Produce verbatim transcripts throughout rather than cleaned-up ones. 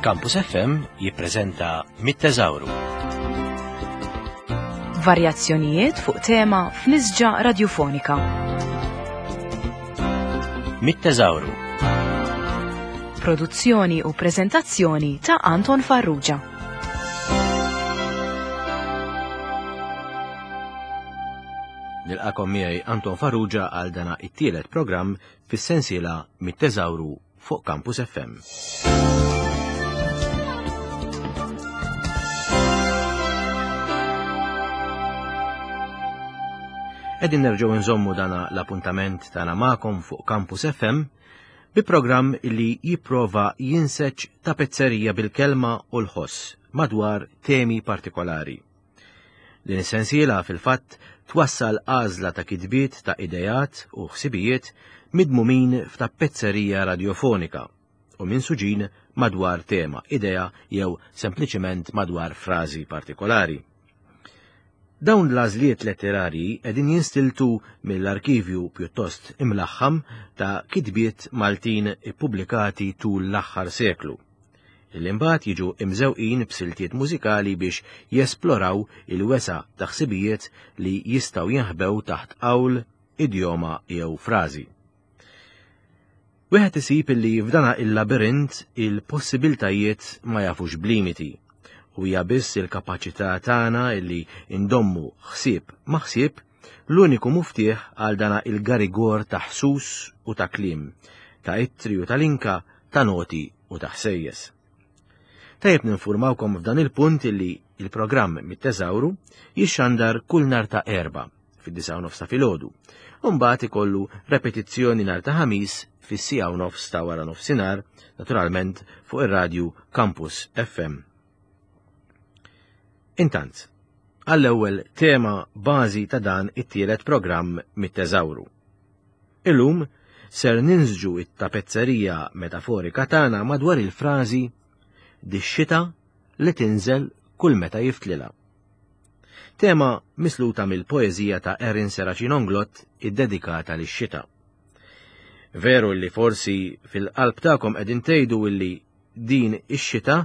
Campus F M jippreżenta Mit-Teżawru. Varjazzjonijiet fuq tema f'nisġa radiofonika. Mit-Teżawru. Produzzjoni u preżentazzjoni ta' Anton Farrugia. Nilqakom miegħi Anton Farrugia għal dana it-tielet programm fis-sensiela Mit-Teżawru fuq Campus F M. Qegħdin nerġgħu nżommu dana l-appuntament tagħna magħkom fuq Campus F M bi programm li jipprova jinseġ tapezzerija bil-kelma u l-ħoss madwar temi partikolari. Din is-sensiela fil-fatt twassal għażla ta' kitbiet ta' idejat u ħsibijiet midmumin f'tapezzerija radiofonika u minsuġin madwar tema, idea jew sempliċement madwar frażi partikolari. Dawn l-għażliet letterarji qegħdin jinstiltu mill-arkivju pjuttost imlaħħam ta' kitbiet Maltin ippubblikati tul l-aħħar seklu. Illi mbagħad jiġu imżewqin b'siltiet mużikali biex jesploraw il-wesa' ta' ħsibijiet li jistgħu jinħbew taħt qawl, idjoma jew frażi. Wieħed isib illi f'dana il-labirint il-possibiltajiet ma jafux b'limiti. U hija biss il-kapaċità tagħna illi ndommu ħsieb ma' ħsieb l-uniku muftieħ għal dana il-garigor ta' ħsus u ta' kliem, ta' ittri u ta' linka, ta' noti u ta' ħsejjes. Tajjeb ninfurmawkom f'dan il-punt illi il-programm Mit-Teżawru jixxandar kull nhar ta' Erbgħa fid-disgħa u nofs ta' filgħodu, u mbagħad ikollu repetizzjoni nhar ta' Ħamis fis-siegħa u nofs ta' wara nofsinhar, naturalment fuq ir-radju Campus F M. Intant, għall-ewwel tema bażi ta' dan it-tielet programm Mit-Teżawru. Illum ser ninsġu it-tapezzerija metaforika tagħna madwar il-frażi dix-xita li tinżel kull meta jiftlilha. Tema misluta mill-poeżija ta' Erin Serracino Inglott iddedikata lix-xita. Veru li forsi fil-qalb tagħkom qegħdin tgħidu illi din ix-xita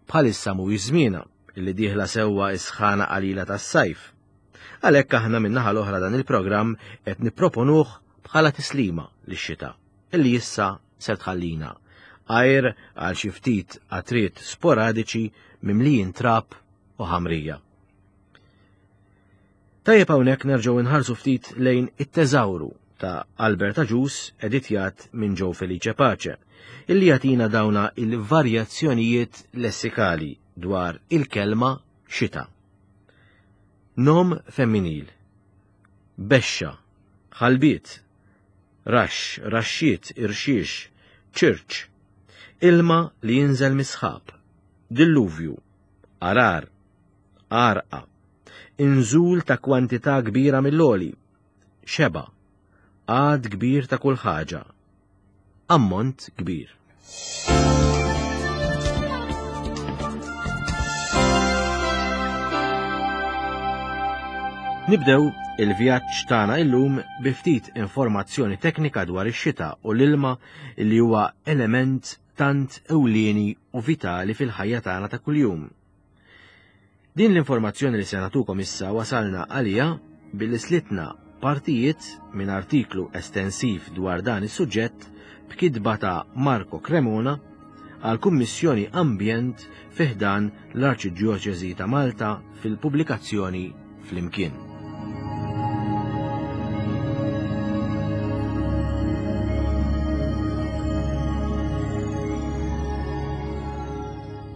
bħalissa mhuwiex żmienha, illi dieħla sewwa s-sħana qalila tas-sajf. Għalhekk aħna min-naħa l-oħra dan il-programm qed nipproponuh bħala tislima lix-xita, illi issa ser tħallina, għajr għal xi ftit qatriet sporadiċi mimlijin trab u ħamrija. Tajjeb hawnhekk nerġgħu nħarsu ftit lejn it-Teżawru ta' Albert Agius editjat minn Joe Felice Pace, illi jagħtina dawna il-varjazzjonijiet lessikali dwar il-kelma xita. Nom femminil, bexxa, ħalbiet, raxx, raxxiet, irxiex, ċirċ, ilma li jinżel misħab, dilluvju, arar, arqa, inżul ta' kwantità kbira mill-oli, xeba, għad kbir ta' kull ħaġa, ammont kbir. Nibdew il-vjaġġ tagħna illum bi ftit informazzjoni teknika dwar ix-xita u l-ilma li huwa element tant ewlieni u vitali fil-ħajja tagħna ta' kuljum. Din l-informazzjoni li se nagħtukom issa wasalna għalija billi slitna partijiet minn artiklu estensiv dwar dan is-suġġett b'kitba ta' Marco Cremona għal Kummissjoni Ambjent fi ħdan l-Arċidjoċesi ta' Malta fil-pubblikazzjoni Flimkien.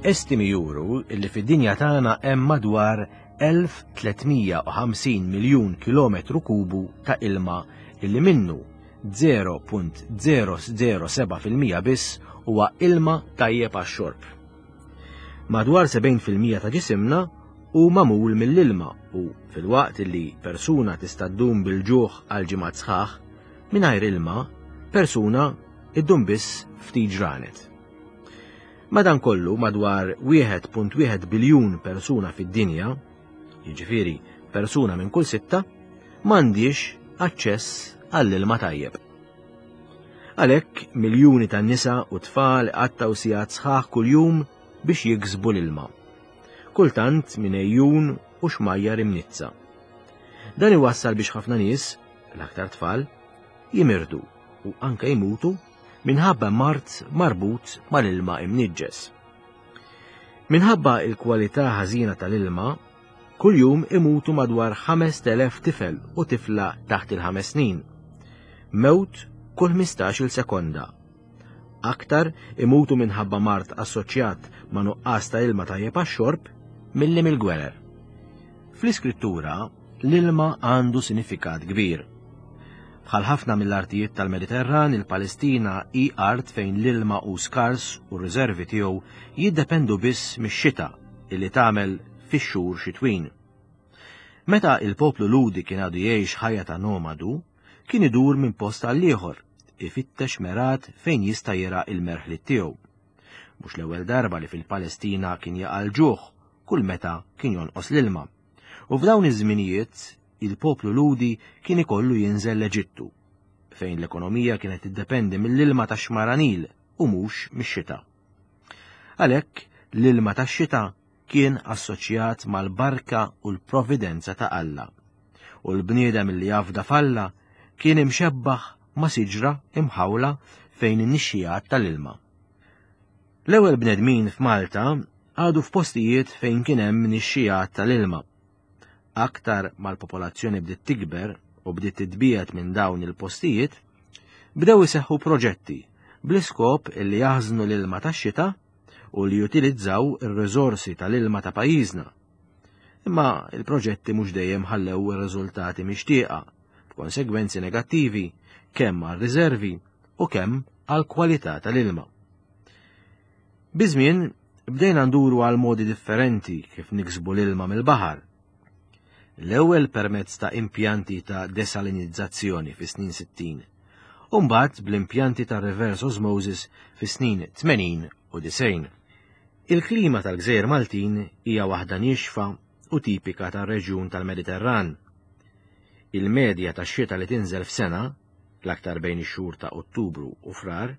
Estimi juru li fid-dinja tagħna hemm madwar elf tlietmija u ħamsin miljun kilometru kubu ta' ilma illi minnu zero punt zero zero seba' fil-mija biss huwa ilma tajjeb għax-xorb. Madwar sebgħin fil-mija ta' ġisimna hu magħmul mill-ilma u filwaqt li persuna tista' ddum bil-ġuħ għal ġimgħat sħaħ, mingħajr ilma persuna iddum biss ftit ġranet. Madankollu madwar wieħed punt wieħed biljun persuna fid-dinja, jiġifieri persuna minn kull sitta, m'għandix aċċess għall-ilma tajjeb. Għalhekk miljuni ta' nisa u tfal qattgħu sigħat sħaħ kuljum biex jiksbu l-ilma. Kultant minn ejjun u xmajjar imnizza. Dan iwassal biex ħafna nies, l-aktar tfal, jimirdu u anke jmutu minħabba mard marbut mal-ilma imniġġes. Minħabba il-kwalità ħażina tal-ilma, kuljum imutu madwar ħamest elef tifel u tifla taħt il-ħames snin. Mewt kull ħmistax-il sekonda. Aktar imutu minħabba mard assoċjat ma' nuqqas ta' ilma tajjeb għax-xorb milli mill-gwerer. Fl-iskrittura, l-ilma għandu sinifikat kbir. Bħal ħafna mill-artijiet tal-Mediterran, il-Palestina hi art fejn l-ilma hu skars u r-riservi tiegħu jiddependu biss mix-xita illi tagħmel fix-xhur xitwin. Meta il-poplu Lhudi kien għadu jgħix ħajja ta' nomadu, kien idur minn post għal ieħor, ifittex merat fejn jista' jira il-merħlit tiegħu. Mhux l-ewwel darba li fil-Palestina kien jaqa' l-ġuħ kull meta kien jonqos l-ilma. U f'dawn iż-żminijiet il-poplu Lhudi kien ikollu jinżel l-Eġittu, fejn l-ekonomija kienet tiddependi mill-ilma tax-xmara Nil u mhux mix-xita. Għalhekk l-ilma tax-xita kien assoċjat mal-barka u l-providenza ta' Alla, u l-bniedem li jafda f'Alla kien imxebbaħ ma' siġra imħawla fejn in-nixxijat tal-ilma. L-ewwel bnedmin f'Malta għadu f'postijiet fejn kien hemm nixxijat tal-ilma. Aktar mal-popolazzjoni bdiet tikber u bdiet titbiegħed minn dawn il-postijiet, bdew iseħħu proġetti bl-iskop li jaħżnu l-ilma tax-xita u li jutilizzaw ir-riżorsi tal-ilma ta' pajjiżna. Imma il-proġetti mhux dejjem ħallew ir-riżultati mixtieqa, b'konsegwenzi negattivi kemm għar-riservi u kemm għall-kwalità tal-ilma. Biż-żmien bdejna nduru għal modi differenti kif niksbu l-ilma mill-baħar. L-ewwel permezz ta' impjanti ta' desalinizzazzjoni fis-snin sittin, u mbagħad bl-impjanti ta' reverse osmosis fis-snin tmenin u disgħin. Il-klima tal-Gżejjer Maltin hija waħda niexfa u tipika tar-reġjun tal-Mediterran. Il-medja tax-xita li tinżel f'sena, l-aktar bejn ix-xhur ta' Ottubru u Frar,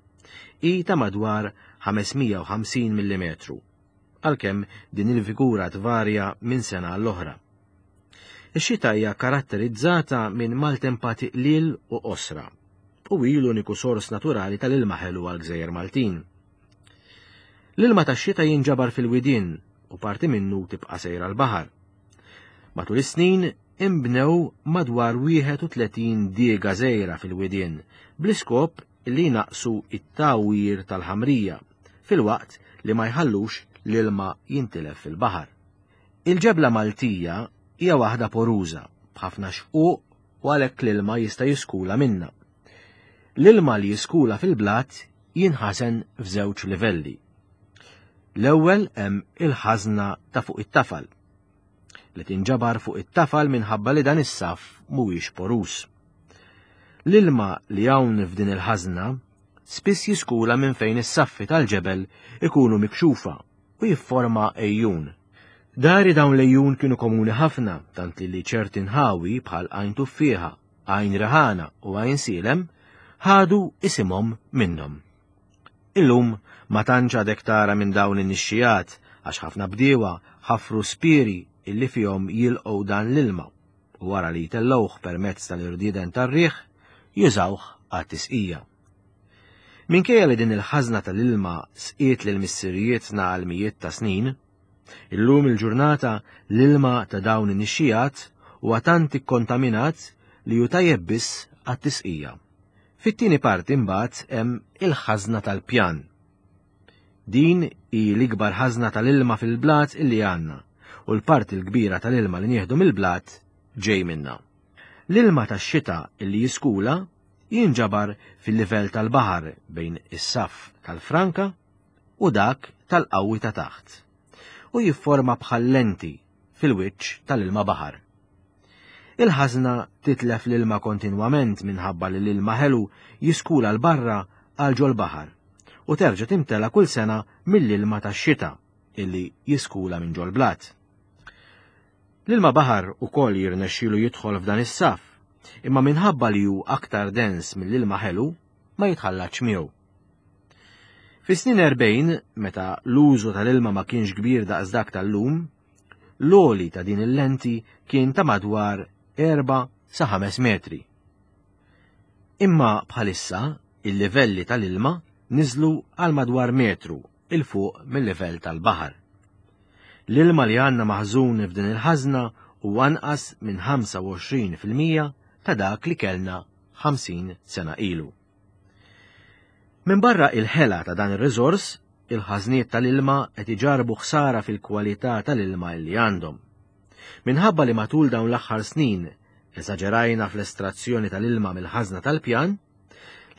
hi ta' madwar ħames mija u ħamsin millimetru, għalkemm din il-figura tvarja minn sena għall-oħra. Ix-xita hija karatterizzata minn maltempati qliel u qosra, u hi l-uniku sors naturali tal-ilma ħelu għall-Gżejjer Maltin. L-ilma tax-xita jinġabar fil-widien u parti minnu tibqa' sejra l-baħar. Matul is-snin imbnew madwar wieħed u tletin diega żgħira fil-widien bl-iskop li jnaqsu it-tawwir tal-ħamrija filwaqt li ma jħallux l-ilma jintilef fil-baħar. Il-ġebla Maltija hija waħda poruża b'ħafna xquq u għalhekk l-ilma jista' jiskula minnha. L-ilma li jiskula fil-blat jinħasen f'żewġ livelli. L-ewwel hemm il-ħażna ta' fuq it-tafal, li tinġabar fuq it-tafal minħabba li dan is-saff mhuwiex poruż. L-ilma li hawn f'din il-ħażna spiss jiskula minn fejn is-saffi tal-ġebel ikunu mikxufa u jifforma ejjun. Dari dawn l-ejjun kienu komuni ħafna, tant li ċerti nħawi bħal Għajn Tuffieħa, Għajn Riħana u Għajn Sielem ħadu isimhom minnhom. Illum ma tantx għadek tara minn dawn in-nixxijat għax ħafna bdiewa ħafru spiri illi fihom jilqgħu dan l-ilma u wara li jtellgħuh permezz tal-irdieden tar-riħ jużawh għat-tisqija. Minkejja li din il-ħażna tal-ilma sqiet lil missirijietna għal mijiet ta' snin, illum il-ġurnata l-ilma ta' dawn in-nixxijat huwa tant ikkontaminat li hu tajjeb biss għat-tisqija. Fit-tieni parti mbagħad hemm il-ħażna tal-pjan. Din hi l-ikbar ħażna tal-ilma fil-blat illi għandna u l-parti l-kbira tal-ilma li nieħdu mill-blat ġej minna. L-ilma tax-xita illi jiskula jinġabar fil-livell tal-baħar bejn is-saff tal-Franka u dak tal-qawwi ta' taħt u jifforma bħal lenti fil-wiċċ tal-ilma baħar. Il-ħażna titlef l-ilma kontinwament minħabba li l-ilma ħelu jiskula l-barra għal ġol-baħar u terġa' timtela kull sena mill-ilma tax-xita illi jiskula minn ġol-blat. L-ilma baħar ukoll jirnexxielu jidħol f'dan is-saff, imma minħabba li hu aktar dens mill-ilma ħelu ma jitħallatx miegħu. Fis-snin erbgħin, meta l-użu tal-ilma ma kienx kbir daqs dak tal-lum, l-għoli ta' din il-lenti kien ta' madwar erba' sa ħames metri. Imma bħalissa il-livelli tal-ilma niżlu għal madwar metru il fuq mill-livell tal-baħar. L-ilma li għandna maħżun f'din il-ħażna hu anqas minn ħamsa u għoxrin fil-mija ta' dak li kellna ħamsin sena ilu. Minn barra il-ħela ta' dan ir-riżors, il-ħażniet tal-ilma qed iġarbu ħsara fil-kwalità tal-ilma li għandhom. Minħabba li matul dawn l-aħħar snin eżaġerajna fl-estrazzjoni tal-ilma mill-ħażna tal-pjan,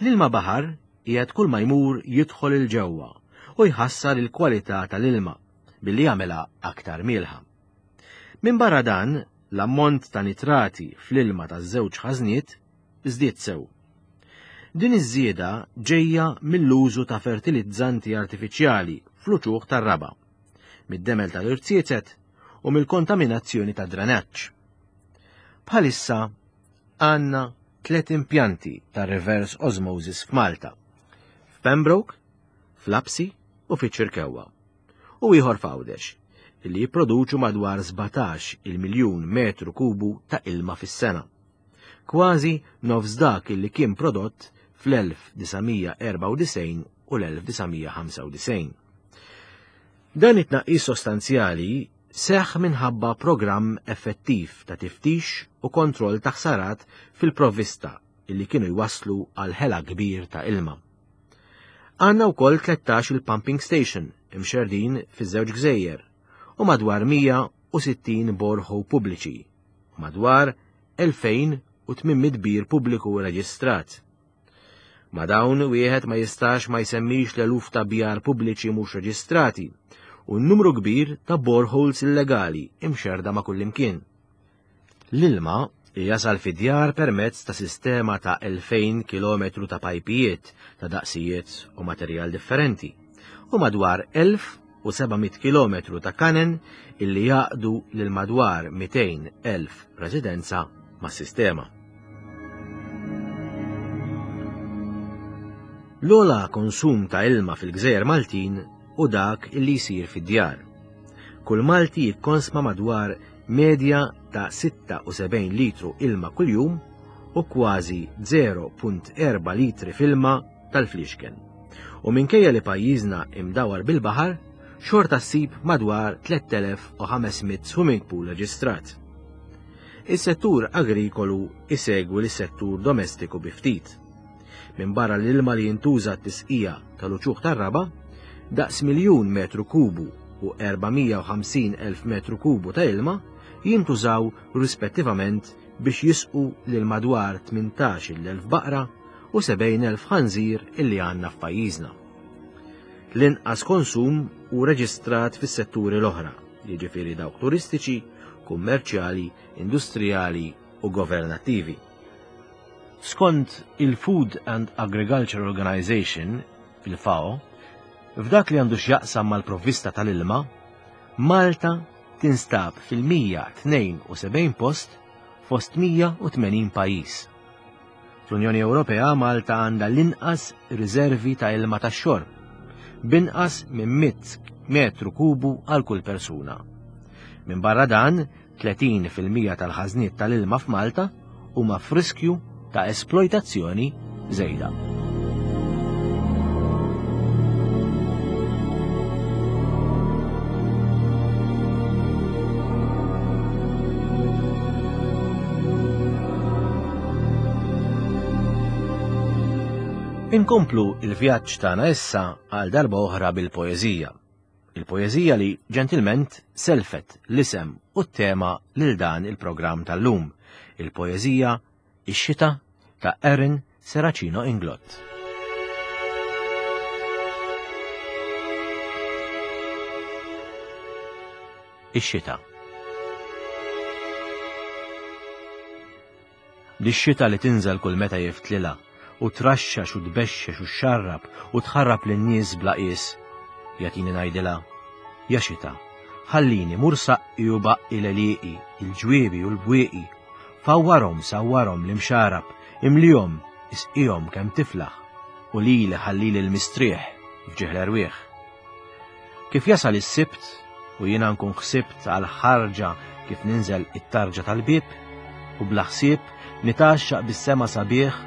l-ilma baħar qiegħed kull ma jmur jidħol il-ġewwa u jħassar il-kwalità tal-ilma billi jagħmilha aktar mielħa. Minn barra dan, l-ammont ta' nitrati fl-ilma taż-żewġ ħażniet żdied sew. Din iż-żieda ġejja mill-użu ta' fertilizzanti artifiċjali fl-uċuħ tar-raba, mid-demel tal-irziezet u mill-kontaminazzjoni ta' drenaġġ. Bħalissa għandna tliet impjanti ta' reverse osmosis f'Malta, f'Pembroke, f'Lapsi u fiċ-Ċirkewwa, u ieħor f'Għawdex, li jipproduċu madwar sbatax il-miljun metru kubu ta' ilma fis-sena. Kważi nofs dak li kien prodott fl-elf disa' erba' u disgħin u l-elf disa' ħamsa u disgħin. Dan it-tnaqqis sostanzjali seħħ minħabba programm effettiv ta' tiftix u kontroll ta' ħsarat fil-provvista illi kienu jwasslu għal ħela kbir ta' ilma. Għandna wkoll tlettax il-pumping station imxerdin fiż-żewġ gżejjer u madwar mija u sittin borehole pubbliċi u madwar elfejn u tmien mitt bir pubbliku reġistrat. Ma dawn wieħed ma jistax ma jsemmix l-eluf ta' bjar pubbliċi mhux reġistrati u n-numru kbir ta' boreholes illegali imxerda ma' kullimkien. L-ilma jasal fid-djar permezz ta' sistema ta' elfejn kilometru ta' pajpijiet ta' daqsijiet u materjal differenti u madwar elf u seba' mitt kilometru ta' kanen illi jaqdu lil madwar mitejn elf residenza mas-sistema. L-ogħla konsum ta' ilma fil-Gżejjer Maltin u dak illi jsir fid-djar. Kull Malti jikkonsma madwar medja ta' sitta u sebgħin litru ilma kuljum u kważi zero punt erba' litri f'ilma tal-flixken. U minkejja li pajjiżna imdawar bil-baħar, xorta ssib madwar tlett elef u ħames mitt swimming pool reġistrat. Is-settur agrikolu isegwi lis-settur domestiku bi ftit. Minn barra l-ilma li jintuża t-tisqija tal-uċuħ tar-raba, daqs miljun metru kubu u erba' mija u ħamsin elf metru kubu ta' ilma jintużaw rispettivament biex jisqu lil madwar tmintax il-elf baqra u sebgħin elf ħanżir illi għandna f'pajjiżna. L-inqas konsum hu reġistrat fis-setturi l-oħra, jiġifieri dawk turistiċi, kummerċjali, industrijali u governattivi. Skont il-Food and Agriculture Organization, il-F A O, f'dak li għandu x'jaqsam mal-provvista tal-ilma, Malta tinstab fil-mija tnejn u sebgħin post fost mija u tmenin pajjiż. Fl-Unjoni Ewropea Malta għandha l-inqas riservi ta' ilma tax-xorb, b'inqas minn mitt metru kubu għal kull persuna. Minn barra dan, tletin fil-mija tal-ħażniet tal-ilma f'Malta huma f'riskju ta' esploitazzjoni żejda. Inkomplu il-vjaġġ tagħna issa għal darba oħra bil-poeżija. Il-poeżija li ġentilment selfet l-isem u t-tema lil dan il-programm tal-lum. Il-poeżija Ix-xita ta' Erin Serracino Inglott. Ix-xita. Lix-xita li tinżel kull meta jiftlilha u traxxax u tbexxex u xxarrab u tħarrab lin-nies bla qies. Jagħtini ngħidilha, ja xita, ħallini mur saqqi u baqqi l-għelieqi, il-ġwiebi u l-bwieqi, fawwarhom sawwarhom l-imxarab, imlihom, isqihom kemm tiflaħ, u lili ħallili l-mistrieħ f'ġieħ l-erwieħ. Kif jasal is-Sibt u jiena nkun ħsibt għal ħarġa kif ninżel it-tarġa tal-bieb u bla ħsieb nitgħaxxaq bis-sema sabiħ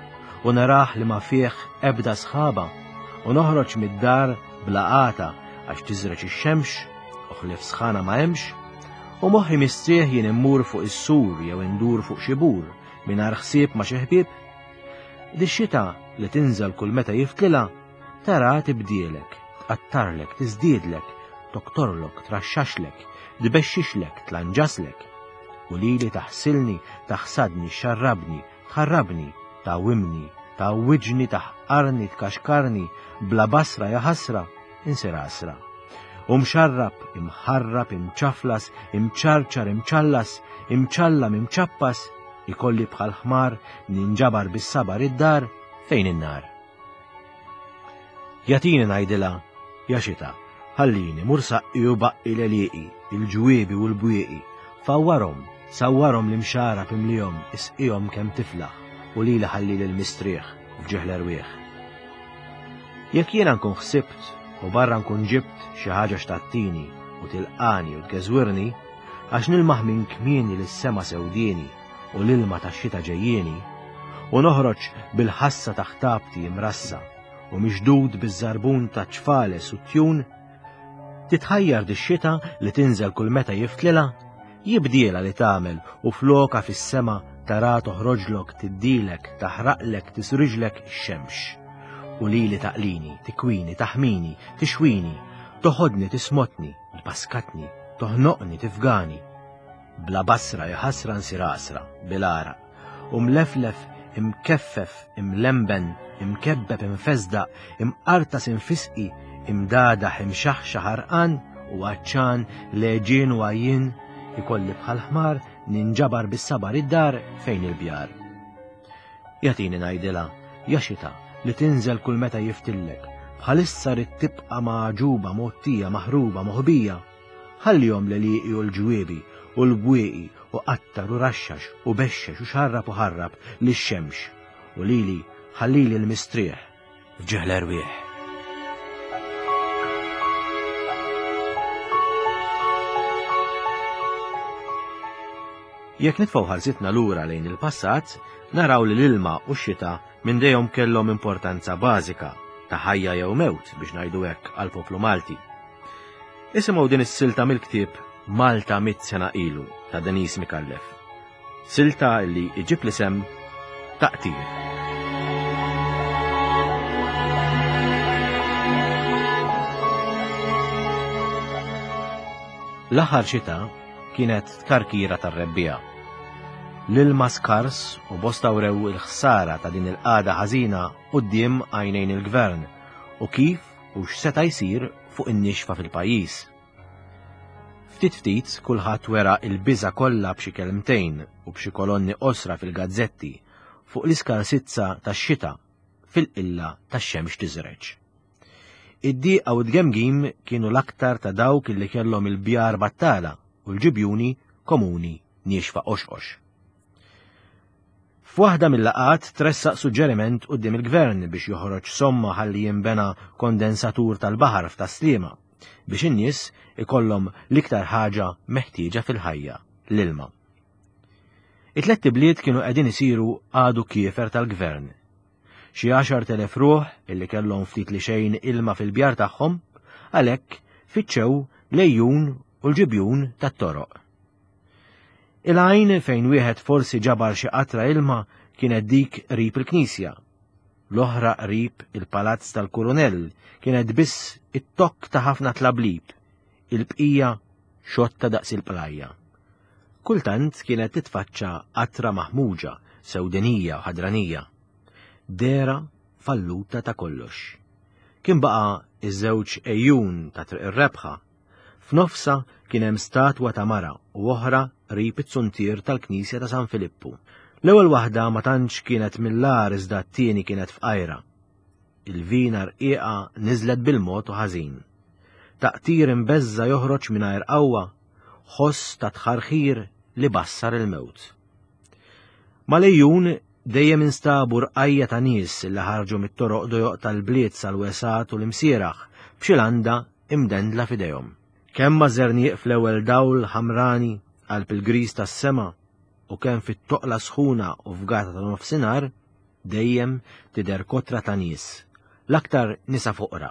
u narah li ma fih ebda sħaba u noħroġ mid-dar bla għata għax tiżreġ ix-xemx u ħlief sħana ma hemmx u moħħi mistrieħ jien immur fuq is-sur jew indur fuq xi bur mingħajr ħsieb ma' xi ħbieb. Dix-xita li tinżel kull meta jiftlilha tara tibdielek, tqattarlek, tiżdiedlek, toktorlok, traxxaxlek, tbexxixlek, tlanġaslek. U lili taħsilni, taħsadni, xarrabni, tħarrabni, tgħawimni, tgħawwiġni, taħqarni, tkaxkarni, bla basra ja ħasra, insir għasra. U mxarrab, imħarrab, imċaflas, imċarċar, imċallas, imċallam, imċappas, ikolli bħal ħmar ninġabar bis-sabar id-dar fejn in-nar. Jagħtini ngħidilha, ja xita, ħallini mur saqqi u baqqi l-għelieqi, il-ġwiebi u l-bwieqi, fawwarhom, sawwarhom l-imxara pimlihom, isqihom kemm tiflaħ u lili ħallili l-mistrieħ f'ġieħ l-erwieħ. Jekk jiena nkun ħsibt u barra nkun ġibt xi ħaġa x'tattini u tilqani u tgeżwirni, għax nilmaħ minn kmieni lis-sema sewdieni u l-ilma tax-xita ġejjieni, u noħroġ bil-ħassa ta' ħtabti imrassa u mixdud biż-żarbun ta' ċfales u tjun, titħajjar dix-xita li tinżel kull meta jiftlilha, jibdiela li tagħmel u floka fis-sema tara toħroġlok, tiddilek, taħraqlek, tisriġlek ix-xemx. U lili taqlini, tikwini, taħmini, tixwini, toħodni, tismotni, tbaskatni, toħnoqni, tifgani. Bla basra ja ħasra nsir għasra, bil-għaraq, u mleflef, imkeffef, imlemben, imkebbeb, imfesdaq, imqartas, imfisqi, imdadaħ, imxaħxaħ, għarqan u għatxan, leġien u għajjien, ikolli bħal ħmar ninġabar bis-sabar id-dar fejn il-bjar. Jagħtini ngħidilha, ja xita, li tinżel kull meta jiftillek, bħalissa rid tibqa' magħġuba, mgħottija, maħruba, moħbija. Ħallihom l-għelieqi u l-ġwiebi u l-bwieqi u qattar u raxxax u bexxex u xarrab u ħarrab lix-xemx u lili ħallili l-mistrieħ f'ġieħ l-erwieħ. Jekk nitfgħu ħarsitna lura lejn il-passat, naraw li l-ilma u x-xita minn dejjem kellhom importanza bażika ta' ħajja jew mewt biex ngħidu hekk għall-poplu Malti. Isimgħu din is-silta mill-ktieb Malta mitt sena ilu ta' Denise Micallef. Silta li iġib l-isem Taqtir. L-aħħar xita kienet tkarkira tar-rebbiegħa. L-ilma skars u bosta wrew il-ħsara ta' din il-qagħda ħażina quddiem għajnejn il-gvern u kif u x'seta' jsir fuq in-nixfa fil-pajjiż. Ftit ftit kulħadd wera il-biża' kollha b'xi kelmtejn u b'xi kolonni qosra fil-gazzetti fuq l-iskarsizza tax-xita fil-qilla tax-xemx tiżreġ. Id-dieqa u d-gemgim kienu l-aktar ta' dawk li kellhom il-bjar battala u l-ġibjuni komuni niexfa qoxqox. F'waħda mill-laqgħat tressaq suġġeriment quddiem il-gvern biex joħroġ somma ħalli jinbena kondensatur tal-baħar f'Tas-Sliema biex in-nies ikollhom l-iktar ħaġa meħtieġa fil-ħajja, l-ilma. It-tlett ibliet kienu qegħdin isiru għadu kiefer tal-gvern. Xi għaxar telef ruħ illi kellhom ftit li xejn ilma fil-bjar tagħhom, għalhekk fittxew lejjun u l-ġibjun tat-toroq. Il-għajn fejn wieħed forsi ġabar xi qatra ilma kienet dik qrib il-knisja. L-oħra qrib il-palazz tal-kurunell kienet biss it-tokk ta' ħafna tlablib, il-bqija xotta daqs il-plajja. Kultant kienet titfaċċa qatra maħmuġa, sewdenija u ħadranija. Dera falluta ta' kollox. Kien baqa' iż-żewġ ejjun ta' Triq ir-Rebħa. F'nofsa kien hemm statwa ta' mara u oħra qrib it-suntier tal-Knisja ta' San Filippu. L-ewwel waħda ma tantx kienet mill-agħar iżda t-tieni kienet fqajra. Il-vina rqiqa niżlet bil-mod u ħażin. Taqtir imbeżża joħroġ mingħajr qawwa, ħoss ta' tħarħir li bassar il-mewt. Mal-ejjun dejjem instabu rqajja ta' nies li ħarġu mit-toroq dojoq tal-bliet sal-wesat u l-imsieraħ b'xi landa imdendla f'idejhom. Kemm ma' żerniq fl-ewwel dawl ħamrani qalb il-griż tas-sema u kemm fit-toqla sħuna u fgata ta' nofsinhar, dejjem tidher kotra ta' nies, l-aktar nisa foqra,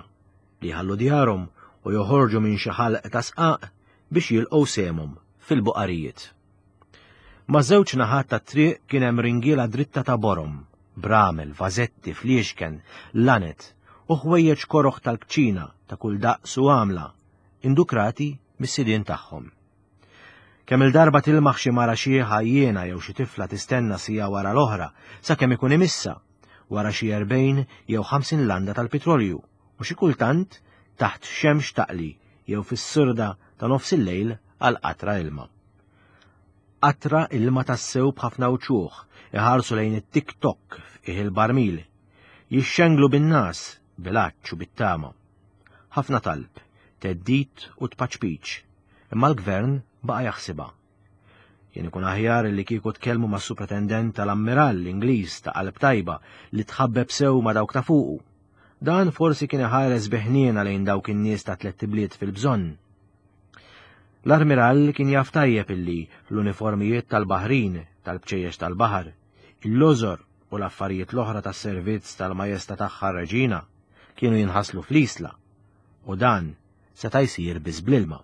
li jħallu djarhom u joħorġu minn xi ħalq ta' sqaq biex jilqgħu sehemhom fil-buqarijiet. Ma' żewġ naħat tat-triq kien hemm ringiela dritta ta' borom, bramel, vażetti, fliexken, lanet u ħwejjeġ koroħ tal-kċina ta' kull daqs u għamla, indukrati mis-sidien tagħhom. Kemm il-darba tilmaħ xi mara xieħa jiena jew xi tifla tistenna sija wara l-oħra sakemm ikun imissa wara xi erbgħin jew ħamsin landa tal-petrolju u xi kultant taħt xemx taqli jew fis-sirda ta' nofs il-lejl għal qatra ilma. Qatra ilma tassew b'ħafna wċuħ iħarsu lejn it-tik-tok f'qiegħ il-barmil, jixxenglu bin-nas, bil-għatx u bit-tama. Ħafna talb, theddid u tpaċpiċ, imma l-gvern baqa' jaħsibha. Kien ikun aħjar li kieku tkellmu mas-supretendent tal-ammirall Ingliż ta' qalb tajba li tħabbeb sew ma' dawk ta' fuqu. Dan forsi kien iħares bi ħniena lejn dawk in-nies ta' tliet ibliet fil-bżonn. L-armirall kien jaf tajjeb illi l-uniformijiet tal-baħrin, tal-bċejjex tal-baħar, il-lożor u l-affarijiet l-oħra tas-servizz tal-majesta tagħha r-reġina kienu jinħaslu fl-isla, u dan seta' jsir biss bl-ilma.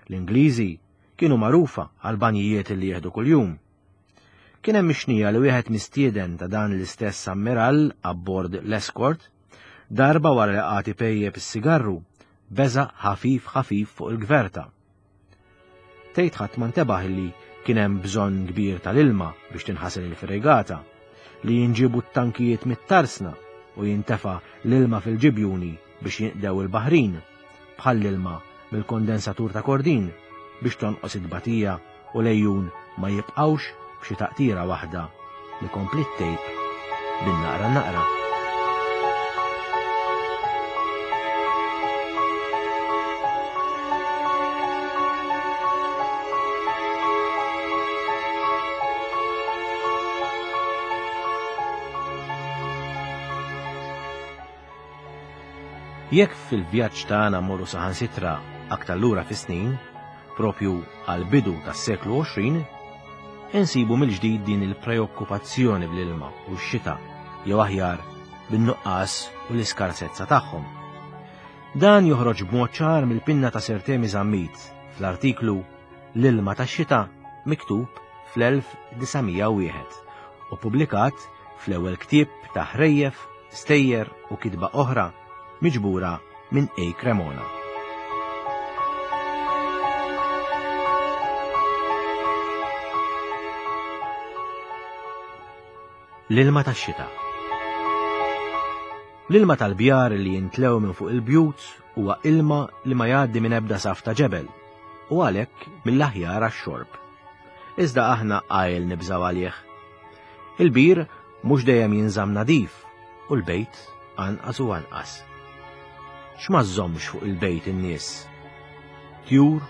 L-Ingliżi kienu magħrufa għal banjijiet li jieħdu kuljum. Kien hemm mixnija li wieħed mistieden ta' dan l-istess ammirall abbord l-Escort, darba wara li qagħad ipejjep is-sigarru, beżaq ħafif ħafif fuq il-gverta. Tgħid ħadd ma ntebaħ li kien hemm bżonn kbir tal-ilma biex tinħasel il-fregata, li jinġibu t-tankijiet mit-tarsna u jintefa' l-ilma fil-ġibjuni biex jinqdew il-baħrin, bħall-ilma mill-kondensatur ta' Kordin biex tonqos it-tbatija u lejjun ma jibqgħux b'xi taqtira waħda li kompli tejb bin-naqra naqra. Jekk fil-vjaġġ tagħna mmorru saħansitra aktar lura fis-snin, propju għall-bidu tas-seklu għoxrin, insibu mill-ġdid din il-preokkupazzjoni bl-ilma u x-xita, jew aħjar bin-nuqqas u l-iskarsezza tagħhom. Dan joħroġ b'mod ċar mill-pinna ta' Sir Temi Zammit fl-artiklu L-ilma tax-xita miktub fl-elf disa' mija u wieħed u ppubblikat fl-ewwel ktieb ta' ħrejjef, stejjer u kitba oħra miġbura minn A. Cremona. L-ilma tax-xita. L-ilma tal-bjar li jintlew minn fuq il-bjut huwa ilma li ma jgħaddi minn ebda saf ta' ġebel u għalhekk mill-aħjar għax-xorb. Iżda aħna qajl nibżgħu għalih. Il-bir mhux dejjem jinżamm nadif u l-bejt anqas u anqas. X'ma żżommx fuq il-bejt in-nies? Tjur,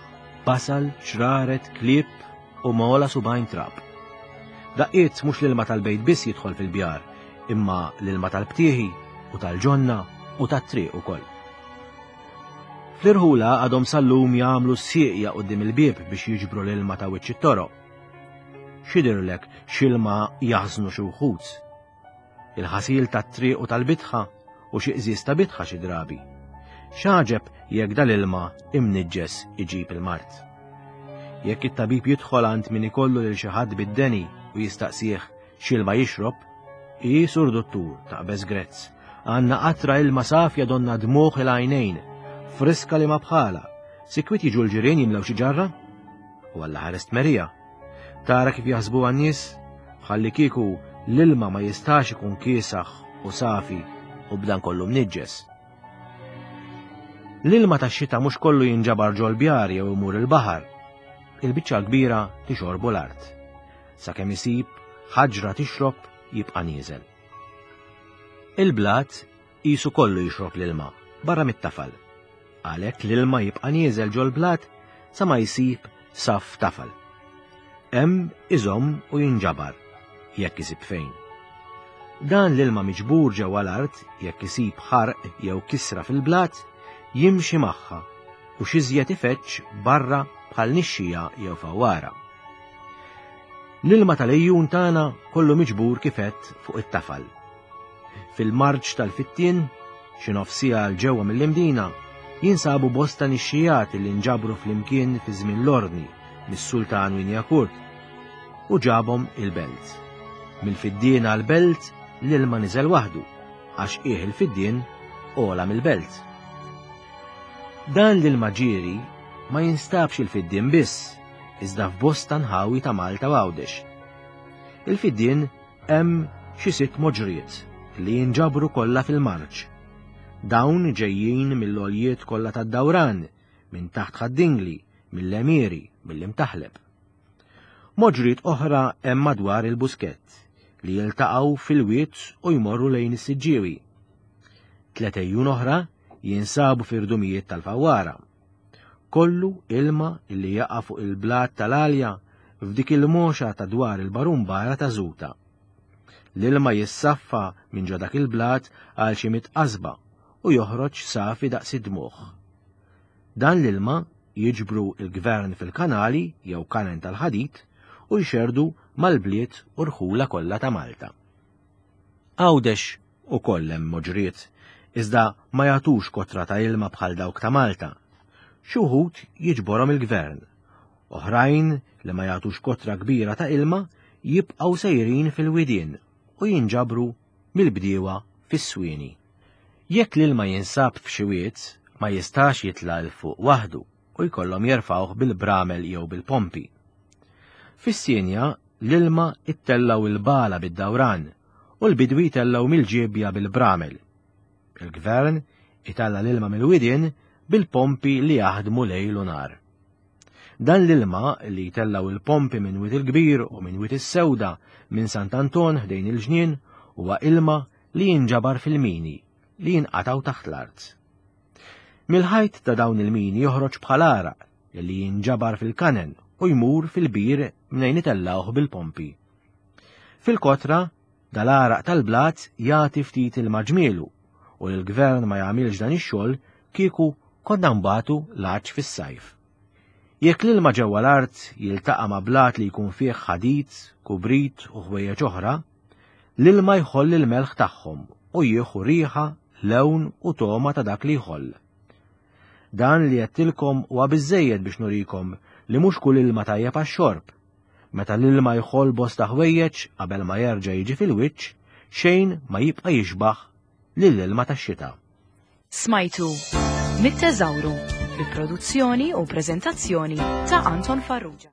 basal, ċraret, klieb u mola subajn trab. Daqqiet mhux l-ilma tal-bejt biss jidħol fil-bjar, imma l-ilma tal-btieħi u tal-ġonna u tat-triq ukoll. Fl-irħula għadhom sal-lum jagħmlu s-sieqja quddiem il-bieb biex jiġbru l-ilma ta' wiċċ it-toroq. X'jidhirlek x'ilma jaħżnu xi wħud? Il-ħasil tat-triq u tal-bitħa u xi qżież ta' bitħa xi drabi. X'għaġeb jekk dal-ilma imniġġes iġib il-mard. Jekk it-tabib jidħol għand min ikollu lil xi ħadd bid-deni u jistaqsih x'ilma jixrob, i sur dottur taqbeż grezz, għandna qatra ilma safja donna dmuħ il-għajnejn, friska li ma bħala, sikwit jiġu l-ġirien jimlew xi ġarra? U Alla ħares tmerija. Tara kif jaħsbu għan-nies, bħalli kieku l-ilma ma jistax ikun kiesaħ u safi u b'dan kollu mniġġes. L-ilma tax-xita mhux kollu jinġabar ġol-bjar jew imur il-baħar. Il-biċċa kbira tixorbu l-art. Sakemm isib ħaġra tixrob jibqa' nieżel. Il-blat qisu kollu jixrob l-ilma barra mit-tafal. Għalhekk l-ilma jibqa' nieżel ġol-blat sa ma jsib saf tafal. Hemm iżomm u jinġabar jekk isib fejn. Dan l-ilma miġbur ġewwa l-art jekk isib ħarq jew kisra fil-blat jimxi magħha u x'iżjed ifeġġ barra bħal nixxija jew fawwara. L-ilma tal-ejjun tagħna kollu miġbur kifet fuq it-tafal. Fil-marġ tal-Fittien, xi nofsija 'l ġewwa mill-Imdina, jinsabu bosta nixxijat li nġabru flimkien fi żmien l-Ordni mis-Sultan Wignacourt u ġabhom il-belt. Mill-Fiddien għall-belt l-ilma niżel waħdu, għax qiegħ il-Fiddien ogħla mill-belt. Dan l-ilma ġieri ma jinstabx il-Fiddien biss, iżda f'bosta nħawi ta' Malta u Għawdex. Il-Fiddien hemm xi sitt moġriet li jinġabru kollha fil-marġ. Dawn ġejjin mill-għoljiet kollha tad-Dawran, minn taħt Ħad-Dingli, mill-Għemieri, mill-Imtaħleb. Moġriet oħra hemm madwar il-Buskett li jiltaqgħu fil-wied u jmorru lejn is-Siġġiewi. Tliet ejjun oħra jinsabu fir-rdumijiet tal-Fawwara. Kollu ilma li jaqa' fuq il-blat tal-Għalja f'dik il-moxa ta' dwar il-Barumbara ta' Żuta. L-ilma jissaffa minn ġo dak il-blat għal xi mitt qasba u joħroġ safi daqs id-dmugħ. Dan l-ilma jiġbru il-gvern fil-kanali jew kanen tal-ħadid u jxerdu mal-bliet u rħula kollha ta' Malta. Għawdex ukoll hemm moġriet, iżda ma jagħtux kotra ta' ilma bħal dawk ta' Malta. Xi wħud jiġborhom il-gvern, oħrajn li ma jagħtux kotra kbira ta' ilma jibqgħu sejrin fil-widien u jinġabru mill-bdiewa fis-swieni. Jekk l-ilma jinsab f'xi wied, ma jistax jitla' 'l fuq waħdu u jkollhom jerfgħuh bil-bramel jew bil-pompi. Fis-Sienja l-ilma ittellgħu il-bala bid-dawran u l-bidwi tellgħu mill-ġiebja bil-bramel. Il-gvern italla' l-ilma mill-widien bil-pompi li jaħdmu lejl u nhar. Dan l-ilma li jtellgħu il-pompi minn Wied il-Kbir u minn Wied is-Sewda minn Sant'Anton ħdejn il-ġnien huwa ilma li jinġabar fil-mini li jinqatgħu taħt l-art. Mill-ħajt ta' dawn il-mini joħroġ bħal għaraq li jinġabar fil-kanen u jmur fil-bir mnejn itellgħuh bil-pompi. Fil-kotra, dal-għaraq tal-blat jagħti ftit il-maġmielu u l-gvern ma jagħmilx dan ix-xogħol kieku konna nbatu l-għatx fis-sajf. Jekk l-ilma ġewwa l-art jiltaqa' ma' blat li jkun fih ħadid, kubrit u ħwejjeġ oħra, l-ilma jħoll il-melħ tagħhom u jieħu riħa, lewn u togħma ta' dak li jħoll. Dan li għedtilkom huwa biżejjed biex nurikom li mhux kull ilma tajjeb għax-xorb. Meta l-ilma jħoll bosta ħwejjeġ qabel ma jerġa' jiġi fil-wiċċ, xejn ma jibqa' jixbaħ lill-ilma tax-xita. Smajtu Mit-Teżawru bi produzzjoni u preżentazzjoni ta' Anton Farrugia.